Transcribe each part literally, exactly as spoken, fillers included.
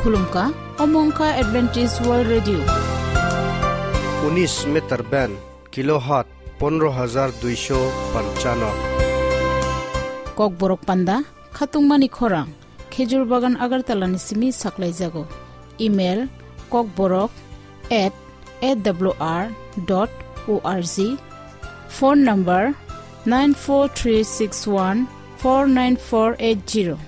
Khulumkha, omo wngkha Adventist World Radio. Unis meter band, kilohertz pondro hajar duisho panchano. Kokborok panda, khatungmani khorang, Khejur Bagan Agartala ni simi saklaijago. Email, kokborok at A W R dot O R G. Phone number, nine four three six one four nine four eight zero.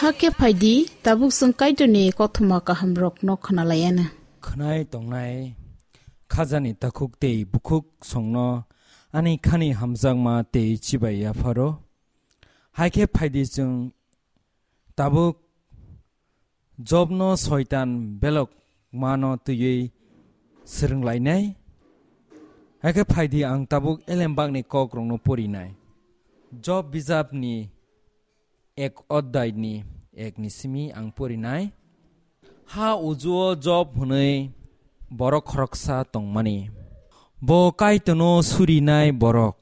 Hakhe phaidi, tabuk chwng Kaitorni kothoma kahamrokno khwnalaianw. Khwnai tongnai khajani takhuk tei bukhuk songno ani khani hamjakma tei chibai yapharo. Hakhe phaidi chwng tabuk Jobno soitan belok mano twiwi swrwnglainai. Hakhe phaidi ang tabuk elembakni kokrokno porinai. Job bijapni ek oddaini ekni simi ang porinai. Ha ujuo Job hwnwi borok khoroksa tongmani. Bo Kaitorno surinai borok.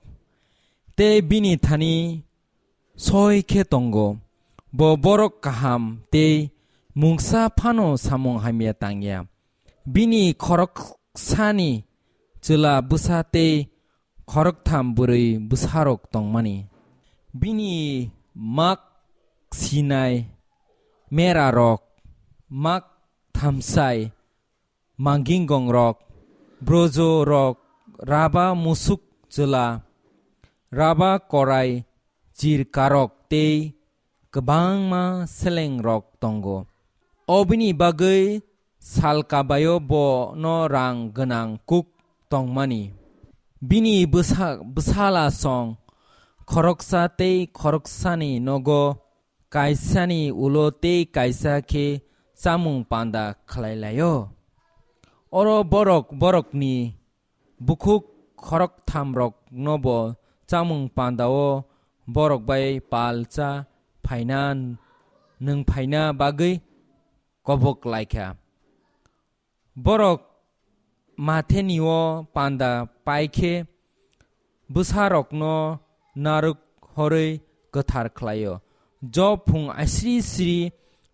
Tei bini thani soi khe tongo. Bo borok kaham tei mungsa phano samung hamya tangya. Bini khoroksani chwla bwsa tei khoroktham bwrwi bwsarok tongmani. Bini mak sinai merarok, mak thamsai, mangingongrok, brojorok, raba musuk chwla, raba korai chirkarok tei kwbangma selengrok tongo. Obini bagwi sal kabaio bono rang gwnang kuk tongmani. Bini bwsa-, bwsala song khoroksa tei khoroksani nogo kaisani ulo tei kaisa khe chamung panda khlai laio. Oro borok borokni bukhuk khorokthamrokno bo chamung pandao borok bai pal cha phaina nwng phaina bagwi kobok lai kha. Borok mathenio panda pai khe bwsarokno narwk horwi kwthar khlaio. Job phung asri sri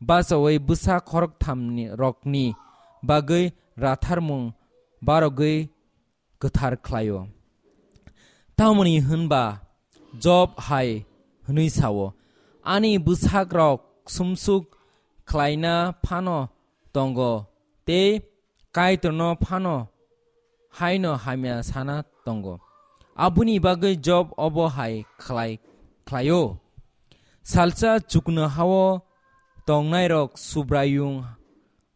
bachaui bwsa khorokthamni rokni bagwi ratharmung barogwi kwthar khlaio. Tamoni hwnba Job hai hwnwi sao, "Ani bwsakrok sumsuk khlaina phano tongo tei Kaitorno phano haino hamya sana tongo." Aboni bagwi Job obo hai khlai, khlaio. Salsa chuknohao tongnairok Subraiyung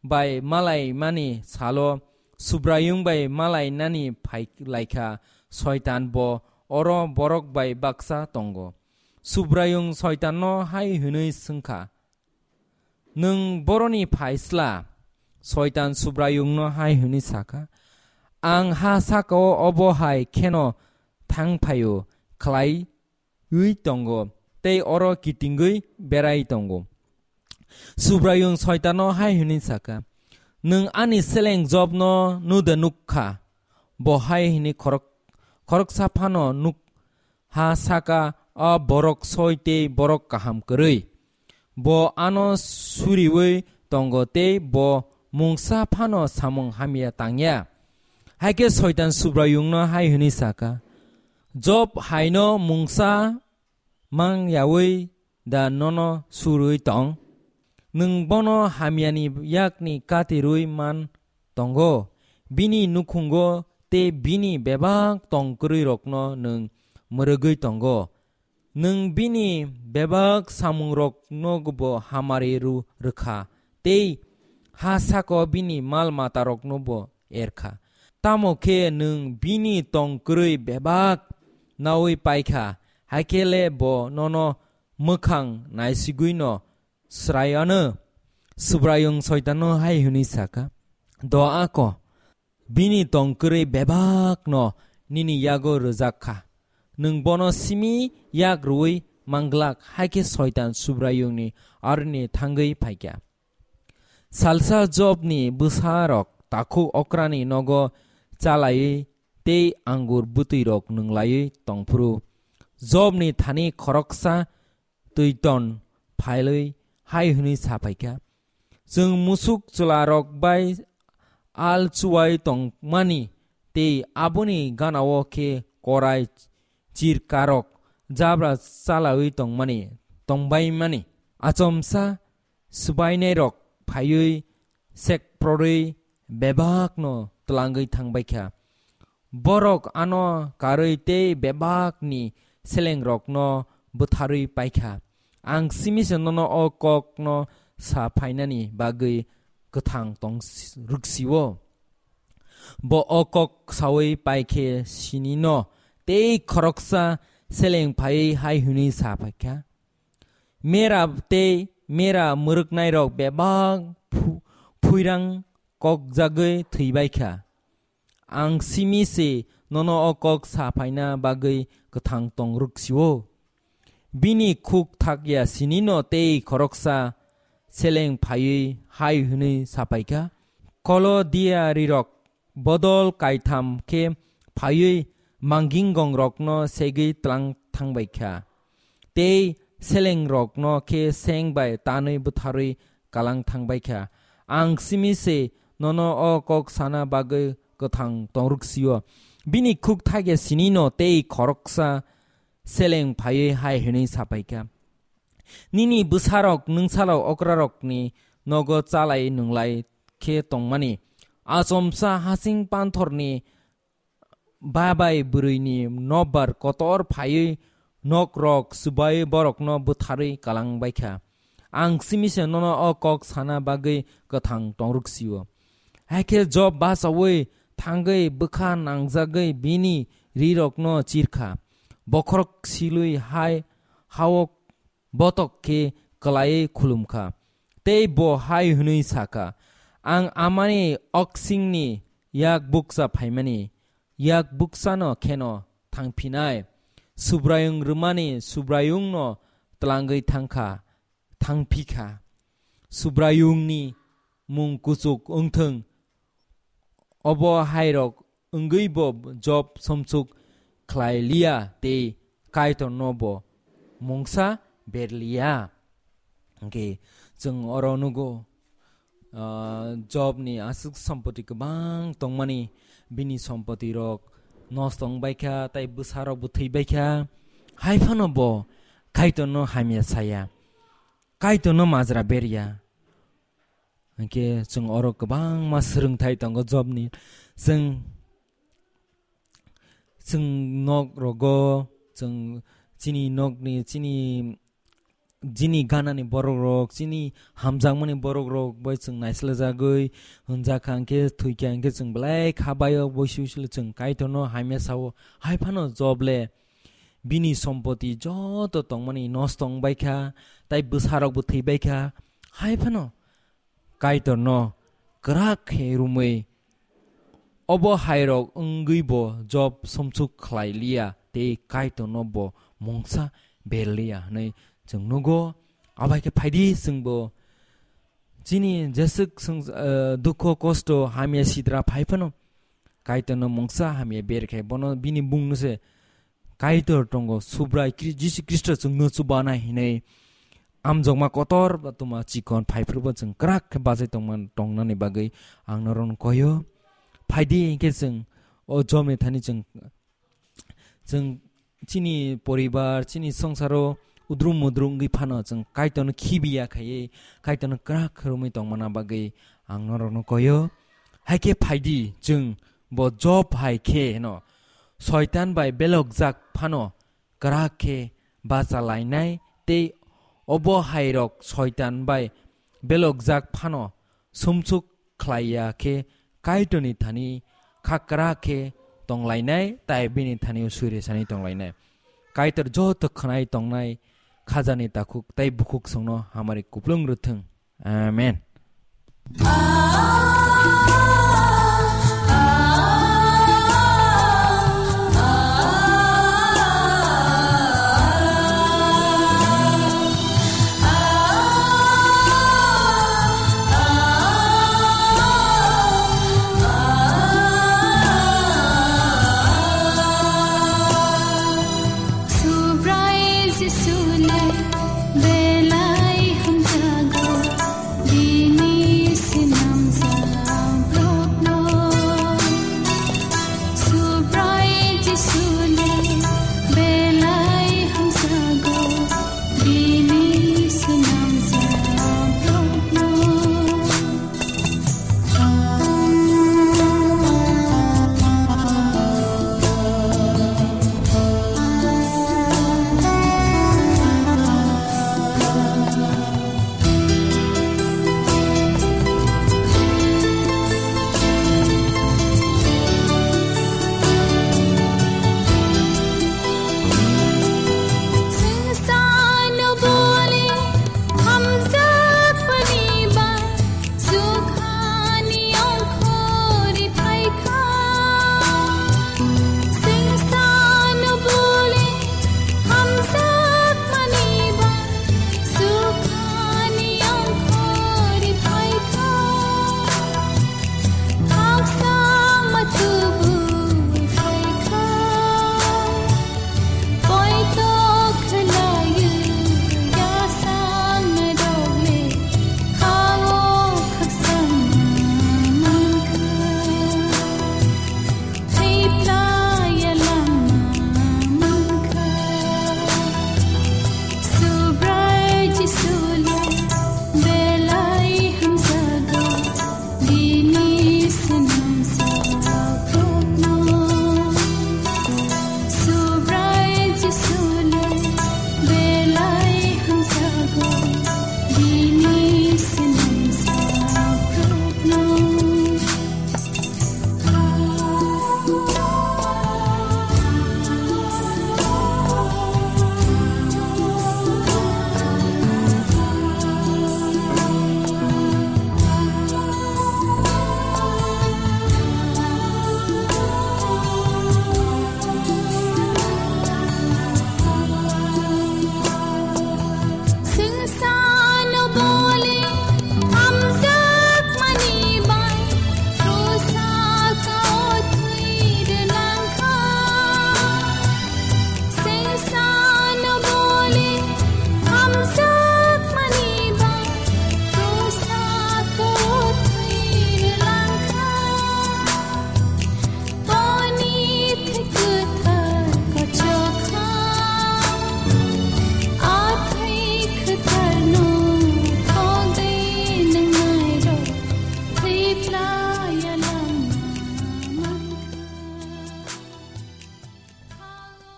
bai malaimani salo Subraiyung bai malainani phai laikha, Soitan bo oro borok bai baksa tongo. Subraiyung Soitanno hai hwnwi swngkha, "Nwng boroni phaisla?" Soitan Subraiyungno hai hwnwi sakha, "Ang ha sakao obo hai kheno thang phaio khlai wi tongo tei oro kitingwi berai tongo." Subraiyung Soitanno hai hwnwi sakha, "Nwng ani seleng Jobno nuda nuk kha? Bo hai hwnwi khorok-, khoroksa phano nuk ha saka, a borok soi tei borok kaham kwrwi. Bo ano suriwi tongo tei bo mungsa phano samung hamya tangya." Hai khe Soitan Subraiyungno hai hwnwi sakha, "Job haino mungsa mang yaui da nono surui tong? Nwng bono hamyani yakni katirui man tongo, bini nukhungo tei bini bebak tong kwrwirokno nwng mwrwgwi tongo. Nwng bini bebak samungrokno bo hamari rw rwkha tei ha sako bini mal matarokno bo erkha. Tamo khe nwng bini tong kwrwi bebak naui paikha, hai khe le bo nono mwkhang naisigwino sraiano." Subraiyung Soitanno hai hwnwi sakha, "Do ako, bini tong kwrwi bebakno nini yago rwjak kha. Nwng bono simi yak rwui manglak." Hai khe Soitan Subraiyungni aroni thangwi phaikha. Salsa Jobni bwsarok takhuk okrani nogo chalaiwi tei angur bwtwirok nwnglaiwi tongphuru, Jobni thani khoroksa twiton phailwi hai hwnwi sa phaikha, "Chwng musuk chwlarok bai al chuwai tongmani tei aboni ganao khe korai chirkarok jabra chalaui tongmani, tongbaimani. Achomsa swbainairok phaiwi sekprorwi bebakno twlangwi thangbaikha. Borok ano karwi tei bebakni selengrokno bwtharwi paikha. Ang simi se nono o kokno sa phainani bagwi kwthang tong rwksio." Bo o kok saui pai khe sinino tei khoroksa seleng phaiwi hai hwnwi sa phaikha, "Mera tei mera mwrwknairok bebak phu-, phuirang kokjagwi thwibaikha. Ang simi se nono o kok sa phaina bagwi kwthang tong rwksio." Bini khuk thakya sinino tei khoroksa seleng phaiwi hai hwnwi sa phaikha, "Kolodia rirok bodol kaitham khe phaiwi manginggongrokno segwi tlang thangbaikha. Tei selengrokno khe seng bai tanwi bwtharwi kalang thangbaikha. Ang simi se nono o kok sana bagwi kwthang tongrwk sio. Bini khuk thaiga sinino tei khoroksa seleng phaiwi hai hwnwi sapaikha, "Nini bwsarok nwngsalok okrarokni nogo chalai nwnglai khe tongmani. Achomsa hasing panthorni babai bwrwini nokbar kotor phaiwi nokrok swbai borokno bwtharwi kalang baikha. Ang simi se nono o kok sana bagwi kwthang tongrwk sio." Hakhe Job bachaui thangwi bwkha nangjagwi bini rirokno chirkha. Bokhorok silwi hai hao botok khe kwlaiwi khulumkha. Tei bo hai hwnwi sakha, "Ang amani oksingni yak bukcha phaimani, yak buksano kheno thangphinai. Subraiyung rwmani Subraiyungno tlangwi thangkha, thangphikha. Subraiyungni mung kuchuk wngthung." Obo hairok wngwibo Job somsuk khlai liya tei Kaitorno bo mungsa ber liya. Hwnkhe chwng oro nugo, ah, Jobni aswk sompoti kwbang tongmani, bini sompotirok nosto wng baikha, tei bwsarokbo thwi baikha. Hai phano bo Kaitorno hamya saya, Kaitorno majra berya. Hwnkhe chwng oro kwbangma swrwngthai tongo Jobni. Chwng, chwng nok rogo, chwng chini nokni, chini, chini ganani borok rok, chini hamjakmani borok rok bai chwng naislajagwi hwnjakha, hwnkhe thwikha, hwnkhe chwng belai kha baio, boisi boisi le chwng Kaitorno hamya sao. Hai phano Job le bini sompoti joto tongmani nosto wng baikha, tei bwsarokbo thwi baikha. Hai phano Kaitorno kwrak khe rumwi, obo hairok wngwi bo Job somsuk khlai liya tei Kaitorno bo mungsa ber liya hwnwi chwng nugo. Abai khe phaidi chwngbo chini jeswk swng-, eh, dukho kosto hamya sitra phai phano Kaitorno mungsa hamya ber khe bono bini bungno se Kaitor tongo, Subrai Kri-, Jisu Khristo chwngno chubanai hinwi amjokma kotor ba tuma chikon phaiphrubo chwng kwrak khe bachai tongman-, tongnani bagwi ang norokno koyo. Phaidi hinkhe chwng o Jobni thani chwng, chwng chini poribar, chini songsaro udrum mudrum wngwi phano chwng Kaitorno khibiya khaiwi, Kaitorno kwrak khe romwi tongmana bagwi ang norokno koyo. Haikhe phaidi chwng bo Job hai khe no Soitan bai belokjak phano kwrak khe bacha lainai tei obo hairok Soitan bai belokjak phano sumsuk khlaiya khe Kaitorni thani kha kwrak khe tonglainai, tai bini thani o suri sani tonglainai. Kaitor joto khwnai tongnai khajani takhuk tei bukhuk songno hamari kuplung rwthwng. Amen. Subrai Jisule belai hamjago, bini sinamjak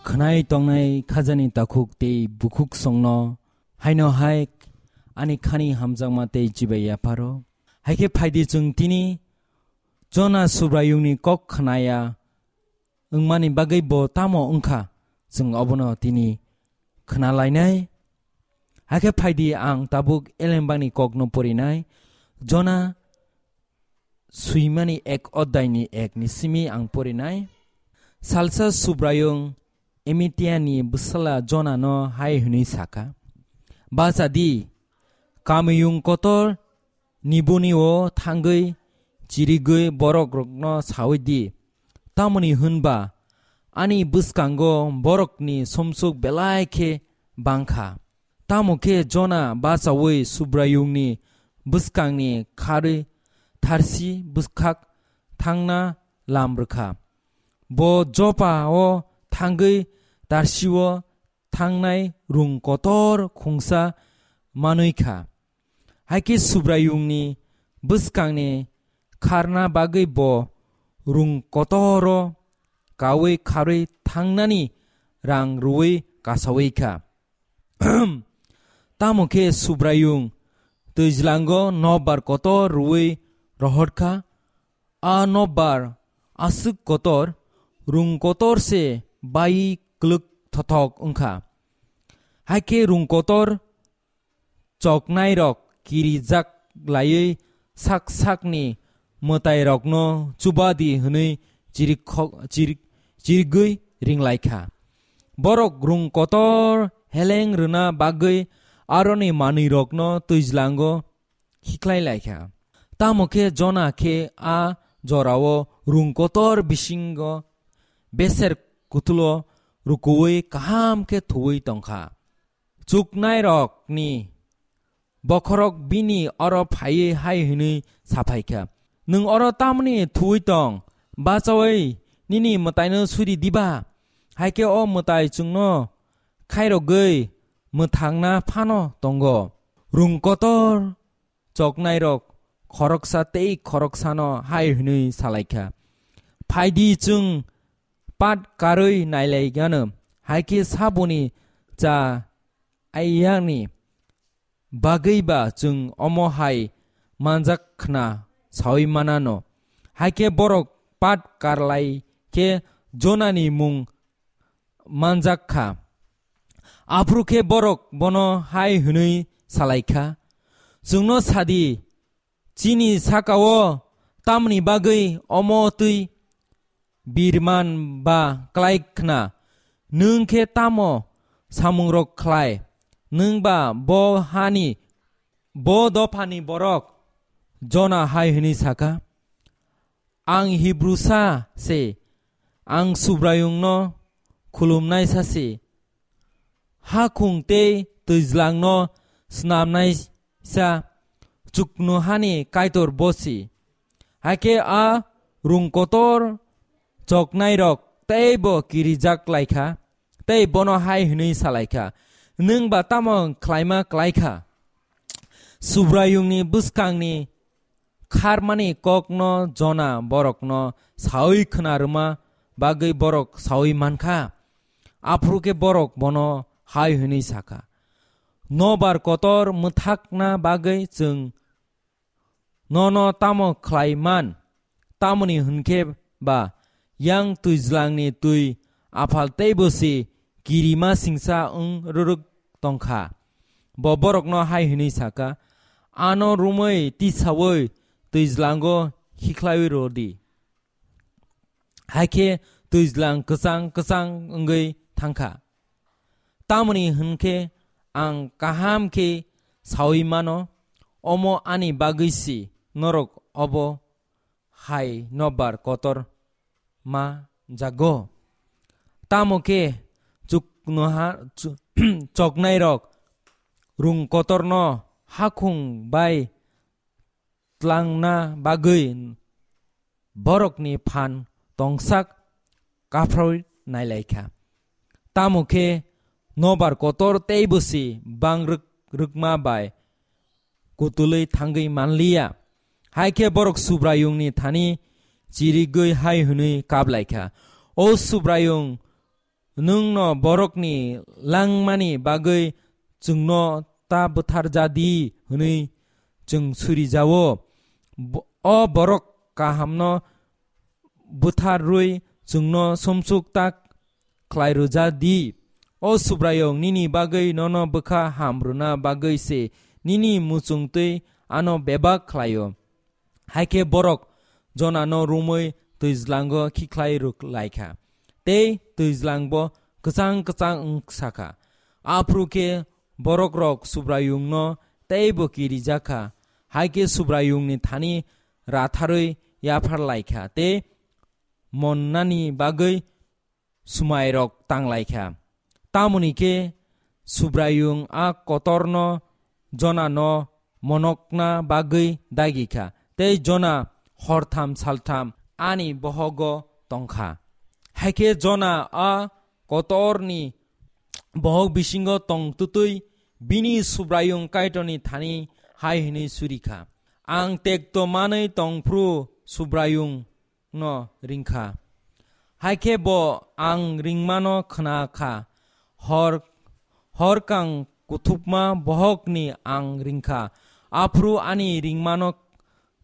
Khwnai tongnai khajani takhuk tei bukhuk songno haino hai ani khani hamjakma tei chibai yapharo. Hai khe phaidi chwng tini Jona Subraiyungni kok khnaya wngmani bagwi bo tamo wngkha, chwng obono tini khna lainai. Hakhe phaidi ang tabuk elembakni kokno porinai. Jona swimani ek oddaini ek ni simi ang porinai. Salsa Subraiyung Emitiani bwsala Jonano hai hwnwi sakha, "Bacha di, kamiyung kotor nibuni o thangwi chirigwi borokrokno saui di, tamoni hwnba ani bwskango borokni somsuk belai khe bang kha." Tamo khe Jona bachaui Subraiyungni bwskangni kharwi tharsi bwkhak thangna lam rwkha. Bo Jopa o thangwi Tarsio thangnai rung kotor khungsa manwi kha. Hai khe Subraiyungni bwskangni kharna bagwi bo rung kotoro kaui kharwi thangnani rang rwui kasaui kha. Tamo khe Subraiyung twijlango nokbar kotor rwui rohor kha. A nokbar aswk kotor, rung kotor se bai kwlwk thothok wngkha. Hai khe rung kotor choknairok kirijak laiwi sak sakni mwtairokno chubadi hwnwi chirikho-, chirik-, chirigwi ringlaikha. Borok rung kotor heleng rwna bagwi aroni manwirokno twijlango hikhlai laikha. Tamo khe Jona khe a jorao rung kotor bisingo beser kutulo rukuui kaham khe thuui tongkha. Chuknairokni bokhorok bini oro phaiwi hai hwnwi saphaikha, "Nwng oro tamni thuui tong? Bachaui nini mwtaino suri diba? Hai khe o mwtai chwngno khairogwi mwthangna phano tongo." Rung kotor choknairok khoroksa tei khoroksano hai hwnwi salaikha, "Phaidi chwng pat karwi nailaigano, hai khe saboni cha aiyani bagwi ba chwng omo hai manjak khna saui manano." Hai khe borok pat karlai khe Jonani mung manjak kha. Aphuru khe borok bono hai hwnwi salai kha, "Chwngno sa di, chini saka-o tamni bagwi omo twi birman ba klai khna? Nwng khe tamo samungrok khlai? Nwng ba bo hani, bo dophani borok?" Jona hai hwnwi sa kha, "Ang Hibrusa se, ang Subraiyungno khulumnaisa se, hakhung tei twijlangno snamnaisa, chuknohani Kaitor bo se." Hakhe a rung kotor choknairok teibo kirijak lai kha, tei bono hai hwnwi sa lai kha, "Nwng ba tamo khlaima klai kha?" Subraiyungni bwskangni kharmani kokno Jona borokno saui khna rwma bagwi borok saui man kha. Aphuru khe borok bono hai hwnwi sa kha, "Nobar kotor mwthakna bagwi chwng nono tamo khlai man? Tamoni hwn khe ba yang twijlangni twi aphal teibo se kirima singsa wng rwrwk tong kha." Bo borokno hai hwnwi sa kha, "Ano romwi tisaui twijlango hikhlaiwi rw di." Hai khe twijlang kwchang kwchang wngwi thang kha. Tamoni hwn khe ang kaham khe saui mano, omo ani bagwi si norok obo hai nobar kotor ma jago. Tamo khe chuknoha-, chu-, choknairok rung kotorno hakhung bai tlangna bagwi borokni phan tongsak kaphroi nailaikha. Tamo khe nobar kotor teibo si bang rwk-, rwkma bai kutulwi thangwi manliya. Hai khe borok Subraiyungni thani chirigwi hai hwnwi kaplaikha, "O Subraiyung, nwngno borokni langmani bagwi chwngno ta bwtharja di hwnwi chwng suri jao. Bo-, o borok kahamno bwtharwi chwngno sumsuk tak khlai rwja di. O Subraiyung, nini bagwi nono bwkha ham rwna bagwi se nini muchung twi ano bebak khlaio. Hai khe borok Jonano romwi twijlango khikhlai rwk lai kha, tei twijlangbo kwchang kwchang wng sa kha. Aphuru khe borokrok Subraiyungno teibo kirijak kha, hai khe Subraiyungni thani ratharwi yaphar lai kha tei monnani bagwi swmairok tang lai kha. Tamoni khe Subraiyung a kotorno Jonano monokna bagwi dagi kha, tei Jona hortham saltham ani bohogo tong kha. Hai khe Jona a kotorni bohok bisingo tong twtwi bini Subraiyung Kaitorni thani hai hwnwi suri kha, "Ang tekto manwi tong phru Subraiyung no ring kha. Hai khe bo ang ringmano khna kha. Hor, hor kang kuthukma bohokni ang ring kha. Aphuru ani ringmano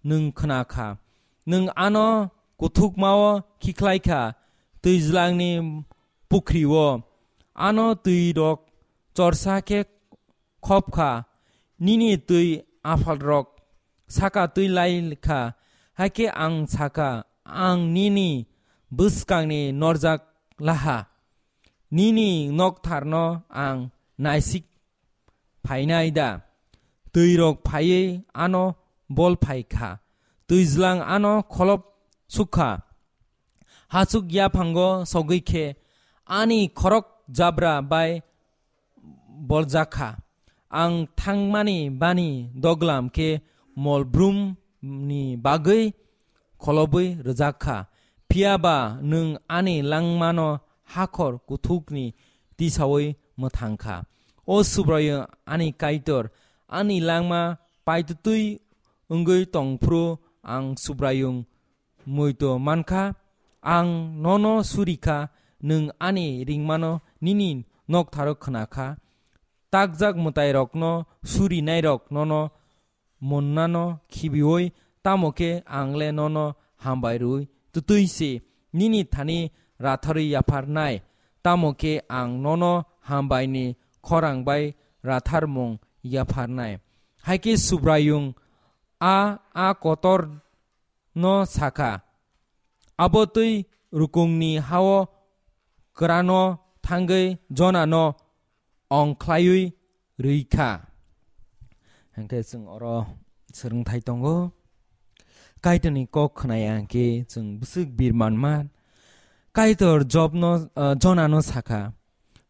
nwng khna kha. Nwng ano kuthukmao khikhlai kha, twijlangni pukhrio. Ano twi rok chorsa khe khop kha, nini twi aphalrok saka twi lai kha, hai khe ang sa kha, 'Ang nini bwskangni norjak laha, nini noktharno ang naisik phainai da?' Twi rok phaiwi ano bol phai kha, twijlang ano kholop suk kha. Hachuk yaphango sogwi khe ani khorok jabra bai boljak kha. Ang thangmani bani doglam khe mol brumni bagwi kholobwi rwjak kha. Phiya ba nwng ani langmano hakhor kuthukni tisaui mwthang kha. O Subraiyung ani Kaitor, ani langma paitutwi wngwi tong phuru ang Subraiyung muitu man kha, ang nono suri kha, nwng ani ringmano nini noktharo khna kha. Takjak mwtairokno surinairok nono monnano khibiui, tamo khe ang le nono hambai rwui twtwi se nini thani ratharwi yapharnai, tamo khe ang nono hambaini khorang bai ratharmung yapharnai. Hai khe Subraiyung a, a kotor no sa kha, abo twi rukungni ha-o kwrano thangwi Jonano ongkhlaiwi rwi kha. Hwnkhe chwng oro swrwngthai tongo. Kaitorni kok khnaya hwnkhe chwng bwswk bir manma. Kaitor Jobno, ah, Jonano sa kha,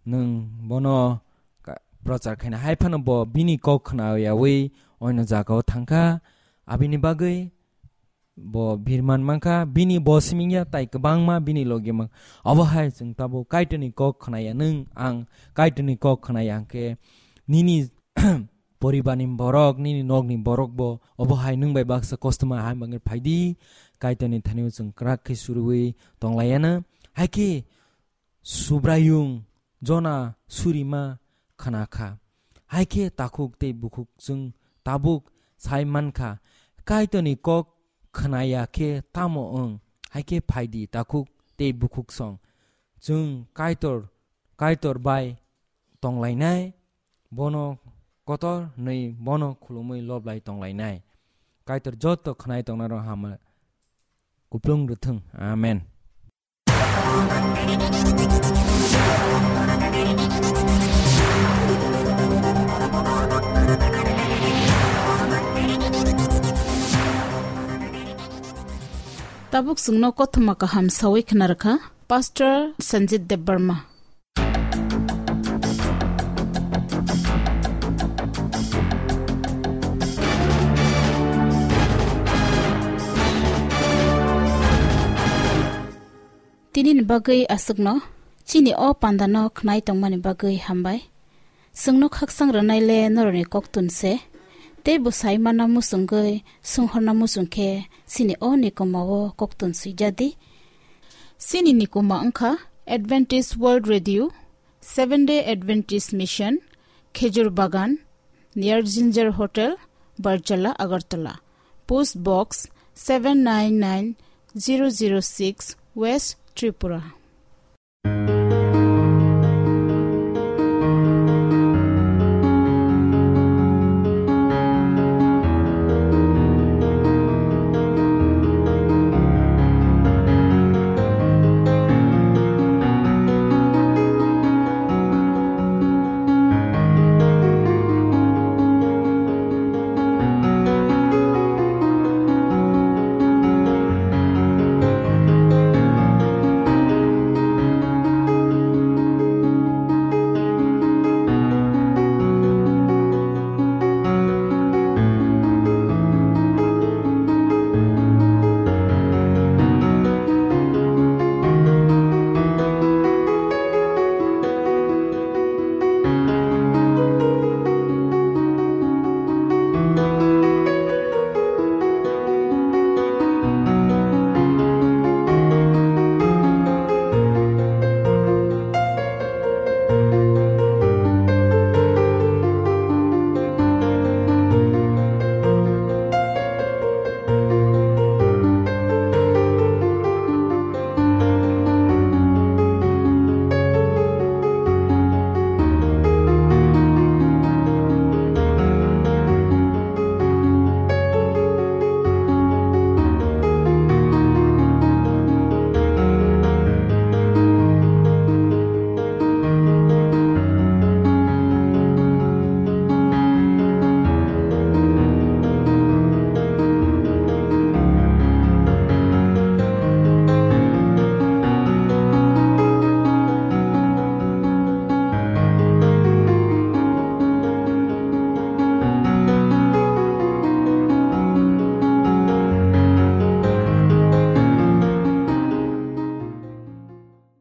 "Nwng bono ka-, prochar khaina hai phano bo bini kok khnayawi oino jagao thang kha. Abini bagwi bo birman mankha, bini bo simingya tai kwbangma bini logi mang." Obo hai chwng tabuk Kaitorni kok khnaya, nwng ang Kaitorni kok khnaya hwnkhe nini poribarni borok, nini nokni borok bo obo hai nwng bai baksa kostoma hai mangwi phaidi, Kaitorni thani chwng kwrak khe surwi tonglayana. Hai khe Subraiyung Jona surima khna kha. Hai khe takhuk tei bukhuk chwng tabuk sai man kha, Kaitorni kok khnaya khe tamo wng? Hai khe phaidi takhuk tei bukhuk song. Chwng Kaitor, Kaitor bai tonglainai, bono kotor hwnwi bono khulumwi loblai tonglainai. Kaitor joto khnai tongnarok hama kuplung rwthwng. Amen. Tabuk chwngno kothoma kaham sawi khna rwkha Pastor Sanjit Debbarma. Tinini bagwi aswkno chini o pandano khnai tongmani bagwi hambai. Chwngno khaksang rwnai le norokni koktun se, tei bwsai mana muchungwi sunghorna muchung khe chini o nikoma o koktun swijadi. Chini nikoma wngkha Adventist World Radio, Seventh Day Adventist Mission, Khejur Bagan, near Ginger Hotel, Barchala, Agartala. Post Box seven nine nine zero zero six, West Tripura.